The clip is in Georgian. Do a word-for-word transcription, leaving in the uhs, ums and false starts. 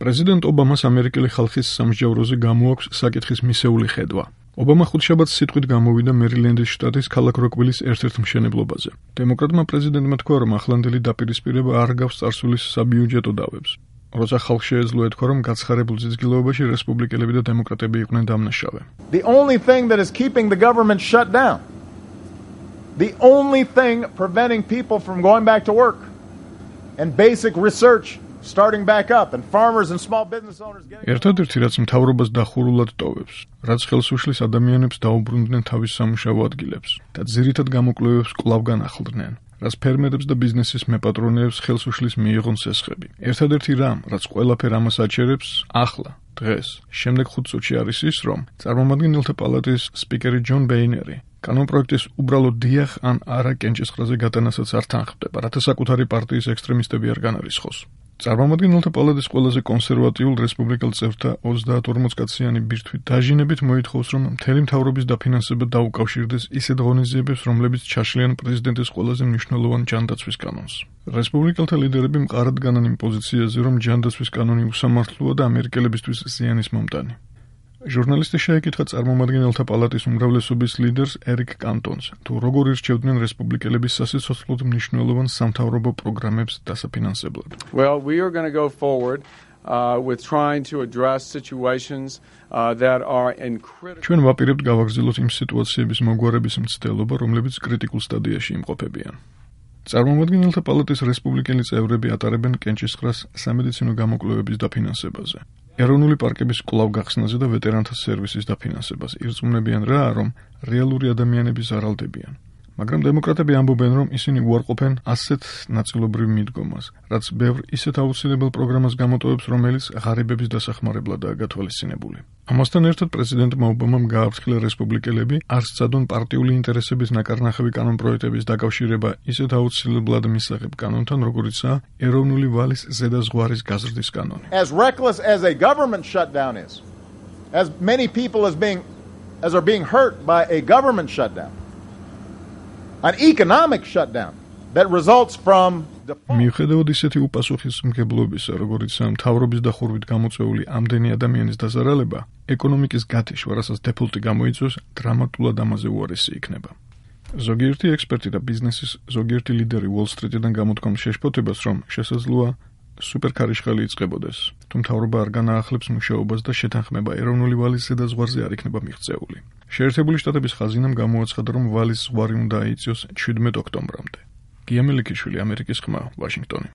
პრეზიდენტ ობამას ამერიკელი ხალხის სამსჯავროზე გამოაქვს საკითხის მისეული ხედვა. ობამა ხუთშაბათს სიტყვით გამოვიდა მერილენდის შტატის ქალაქ როკვვილის ერთ-ერთ მშენებლობაზე. დემოკრატმა პრეზიდენტმა თქვა, რომ ახლანდელი დაპირისპირება არ გავს წარსულის საბიუჯეტო დავებს. როცა ხალხს შეეძლო ეთქვა, რომ გაცხარებულ ძიძგილოებაში რესპუბლიკელები და დემოკრატები იყვნენ დამნაშავე. The only thing that is keeping the government shut down, the only thing preventing people from going back to work and basic research starting back up and farmers and small business owners getting ერთადერთი რაც მთავრობას დახურულად ტოვებს, რაც ხელს უშლის ადამიანებს დაუბრუნდნენ თავის სამუშაო ადგილებს და ძირითად გამოკვლევებს კვლავ განახლდნენ, რაც ფერმერებს და ბიზნესის მეპატრონეებს ხელს უშლის მიიღონ სესხები. ერთადერთი რამ, რაც ყველაფერ ამას აჩერებს, ახლა, დღეს, შემდეგ ხუთ წუთში არის ის, რომ წარმომადგენელთა პალატის სპიკერი ჯონ ბეინერი კანონპროექტის უბრალოდ დიახ ან არა კენჭისყრაზე გატანასაც არ თანხმდება, რათა საკუთარი პარტიის ექსტრემისტები არ განარისხოს. წარმომადგენელთა პალატის ყველაზე კონსერვატიულ რესპუბლიკელ წევრთა ოცდაათ ორმოცკაციანი ბირთვით დაჟინებით მოითხოვს, რომ მთელი მთავრობის დაფინანსება დაუკავშირდეს ისეთ ღონისძიებებს, რომლებიც ჩაშლიან პრეზიდენტის ყველაზე მნიშვნელოვან ჯანდაცვის კანონს. რესპუბლიკელთა ლიდერები მყარად განან იმ პოზიციაზე, რომ ჯანდაცვის კანონი უსამართლოა და ამერიკელებისთვის ზიანის მომტანი. ჟურნალისტის შეეკითხა წარმომადგენელთა პალატის უმრავლესობის ლიდერს ერიკ კანტონს, თუ როგორ ირჩევდნენ რესპუბლიკელების სასიცოცხლოდ მნიშვნელოვან სამთავრობო პროგრამებს დასაფინანსებლად. Well, we are going to go forward uh, with trying to address situations uh, that are in critical. ჩვენ ვაპირებთ გავაგრძელოთ იმ სიტუაციების მოგვარების მცდელობა, რომლებიც კრიტიკულ სტადიაში იმყოფებიან. წარმომადგენელთა პალატის რესპუბლიკელი წევრები ატარებენ კენჭისყრას სამედიცინო გამოკვლევების დაფინანსებაზე. ეროვნული პარკების კვლავ გახსნაზე და ვეტერანთა სერვისის დაფინანსებას ირწმუნებიან რა, რომ რეალური ადამიანები ზარალდებიან. მაგრამ დემოკრატები ამბობენ, რომ ისინი უარყოფენ ასეთ ნაწილობრივ მიდგომას, რაც ბევრ ისეთ აუცილებელ პროგრამას გამოტოვებს, რომელიც ღარიბების დასახმარებლადაა გათვალისწინებული. ამასთან ერთად პრეზიდენტმა ობამამ გააფრთხილა რესპუბლიკელები არ სცადონ პარტიული ინტერესების ნაკარნახევი კანონპროექტების დაკავშირება ისეთ აუცილებლად მისაღებ კანონთან, როგორიცაა ეროვნული ვალის ზედაზღვარის გაზრდის კანონი. As reckless as a government shutdown is, as many people as being as are being hurt by a government shutdown, an economic shutdown that results from მიუხედავად ისეთი უპასუხისმგებლობისა, როგორიცაა მთავრობის დახურვით გამოწვეული ამდენი ადამიანის დაზარალება, ეკონომიკის გათიშვა, რასაც დეფოლტი გამოიწვევს, დრამატულად ამაზე უარესი იქნება. ზოგიერთი ექსპერტი და ბიზნესის ზოგიერთი ლიდერი უოლ-სტრიტიდან გამოთქვამს შეშფოთებას, რომ შესაძლოა სუპერქარიშხალი იწყებოდეს, თუ მთავრობა არ განაახლებს მუშაობას და შეთანხმება ეროვნული ვალის ზედაზღვარზე არ იქნება მიღწეული. შეერთებული შტატების ხაზინამ გამოაცხადა, რომ ვალის ზღვარი უნდა აიწიოს ჩვიდმეტ ოქტომბრამდე. გია მელიქიშვილი, ამერიკის ხმა, ვაშინგტონი.